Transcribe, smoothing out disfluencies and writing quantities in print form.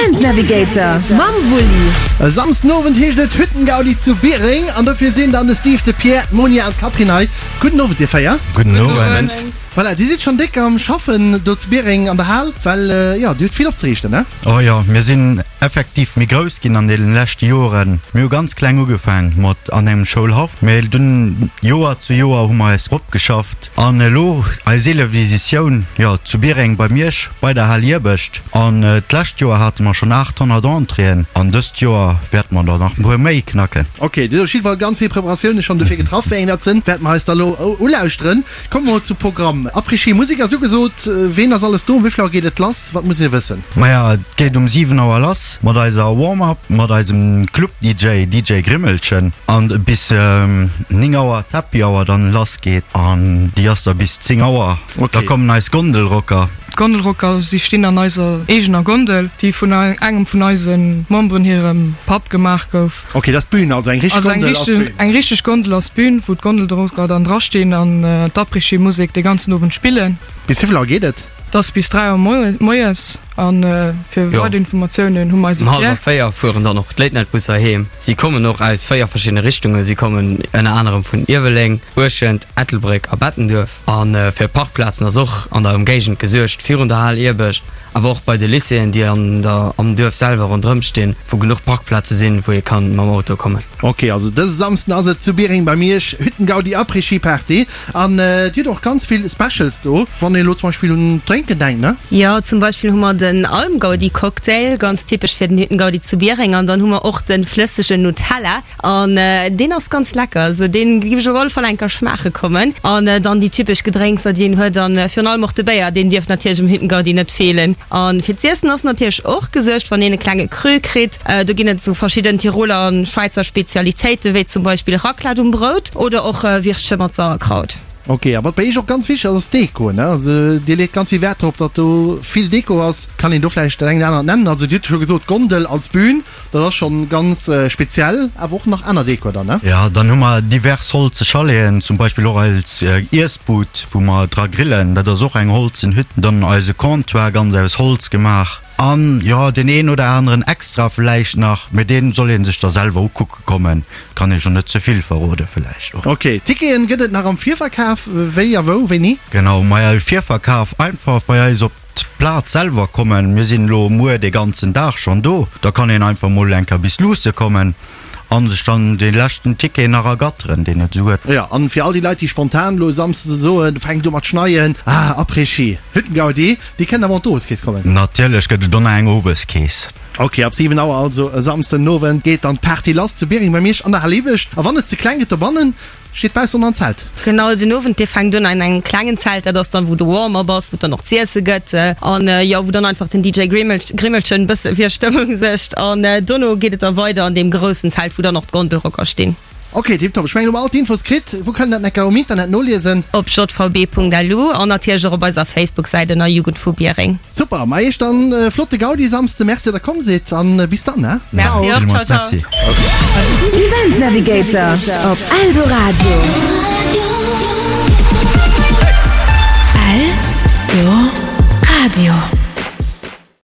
Event Navigator mam Wulli. E Samsden Owend heescht et Hüttengaudi zu Biereng an dofir sinn dann de Steve, de Pierre, d'Monia an d'Catherine hei. Gudden Owend dir 4. Gudden Owend. Voilà, dir sidd schonn déck am Schaffen do zu Biereng an der Hal, well jo, dir hutt vill opzeriichten, ne? Oh jo, mir sinn effektiv méi grouss ginn an deenen leschte Joren. Mir hu ganz kleng ugefaang mat an engem Schoulhaff, mee dunn Joer zu Joer hu mer eis ropgeschafft an elo eis eeleft Editioun, jo, zu Biereng bei Miersch bei der Hal Iewescht. An d'lescht Joer hate mer schonn 800 Entréeën an dëst Joer wäerte mer der nach e puer méi knacken. Ok, dir hutt op jidde Fall ganz vill Preparatioune schonn dofir getraff. Wéi eng dat sinn, wäerte mer eis da lo ulauschteren. Komme mer mol zum Programm. Après-Ski Musek ass ugesot. Ween ass alles do? Um wéi vill Auer geet et lass? Wat muss ee wëssen? Maja, et geet um 7 Auer lass mat eiser Warm-Up mat eisem Club-DJ, DJ Grimmelchen, an bis 9 Auer d'Happy Hour dann lass geet an déi ass da bis 10 Auer. Da kommen eis Gondelrocker. D'Gondelrocker, si stinn an eiser eegener Gondel, déi vun engem vun eise Memberen hirem Papp gemaach gouf. Ok, dat ass d'Bühn, also eng richteg Gondel ass d'Bühn. Eng richteg Gondel ass d'Bühn, wou d'Gondelrocker dann drastinn an d'Après-Ski-Musek dee ganzen Owend spillen. Bis wéi vill Auer geet et? Et ass bis 3 Auer moies a fir weider Informatiounen hu mer eise Pierre. Um hallwer 4 fueren dann och d'Late-Night-Busser heem. Si kommen och aus 4 verschiddene Richtungen. Si kommen ënner anerem vun Ierweleng, Buerschent, Ettelbréck a Bettenduerf. A fir Parkplazen ass och an der Ëmgéigend gesuergt, virun der Hal Iewescht, awer och bei de Lycéeën, déi an der am Duerf selwer ronderëm stinn, wou genuch Parkplaze sinn, wou ee kann mam Auto kommen. Ok, also dëse Samsden ass et zu Biereng bei Miersch, Hüttengaudi Après-Ski Party. An dir hutt och ganz vill Specials do, wann een elo zum Beispill un d'Drénken denkt, ne? Jo, zum Beispill hu mer den Almgaudi Cocktail, ganz typesch fir den Hüttengaudi zu Biereng. An dann hu mer och de flëssegen Nutella. An deen ass ganz lecker, also deen giff ech op alle Fall enker schmaache kommen. An dann déi typesch Gedrénkser déi een huet an virun allem och de Béier, deen dierf natierlech um Hüttengaudi net feelen. An fir z'iessen ass natierlech och gesuergt, wann een e klenge Creux kritt. Do ginn et sou verschidden Tiroler an Schwäizer Spezialitéiten, wéi zum Beispill Raclette um Brout oder och Würstche mat Sauerkraut. Ok, a wat bei iech och ganz wichteg ass, ass d'Deko, ne? Also dir leet ganz vill Wäert drop, datt do vill Deko ass. Kann een do vläicht dat eng oder anert nennen? Also dir hutt scho gesot, d'Gondel als Bühn. Dat ass schon ganz speziell, awer och nach aner Dekor dann, ne? Ja, dann hu mer divers holze Chaleten, zum Beispill och eis Iessbud, wou mer dra grillen, dat ass och eng holzen Hütt. Dann eise Comptoir, ganz aus Holz gemaach. An jo, deen een oder aneren Extra vläicht nach, mee deen soll ee sech da selwer ukucke kommen, kann ee jo net ze vill verrode vläicht och. Ok, Ticketen gëtt et nach am Virverkaf, wéi a wou, wéini? Genau, maja, Virverkaf einfach bei eis op. D'Plaz selwer kommen. Mir sinn elo muer dee ganzen Dag schonn do. Da kann een einfach mol eng Kéier bis luusse kommen a sech dann dee leschten Ticket nach ergatteren, deen et esou huet. Jo, an fir all déi Leit, déi spontan elo e Samsde soen, fänkt u mat schneien, ah, Après-Ski, Hüttengaudi, déi kënnen awer och an d'Oweskeess kommen. Natierlech gëtt et och nach eng Oweskeess. Ok, ab 7 Auer also e Samsden Owend geet dann d'Party lass zu Biereng bei Miersch an der Hal Iewescht. A wann et ze kleng gëtt dobannen, Steet baussen an Zelt. Genau, den Owend dee fänkt un an engem klengen Zelt, dat ass dann wou de Warm-up ass, wou et dann och z'iesse gëtt an jo wou dann einfach den DJ Grimmelchen bësse fir Stëmmung suergt an dono geet et da weider an deem groussen Zelt wou dann och d'Gondelrocker stinn. Ok, tiptop. Ech mengen hu mer all d'Infos kritt. Wou kann een dat necker um Internet noliesen? Op jvb.lu an natierlech och op eiser Facebook-Säit ënner Jugend vu Biereng. Super, ma iech dann e flotte Gaudi Samsde. Merci dat der komm sidd an bis dann he. Merci och, ciao ciao. Event Navigator op Eldoradio. Eldoradio.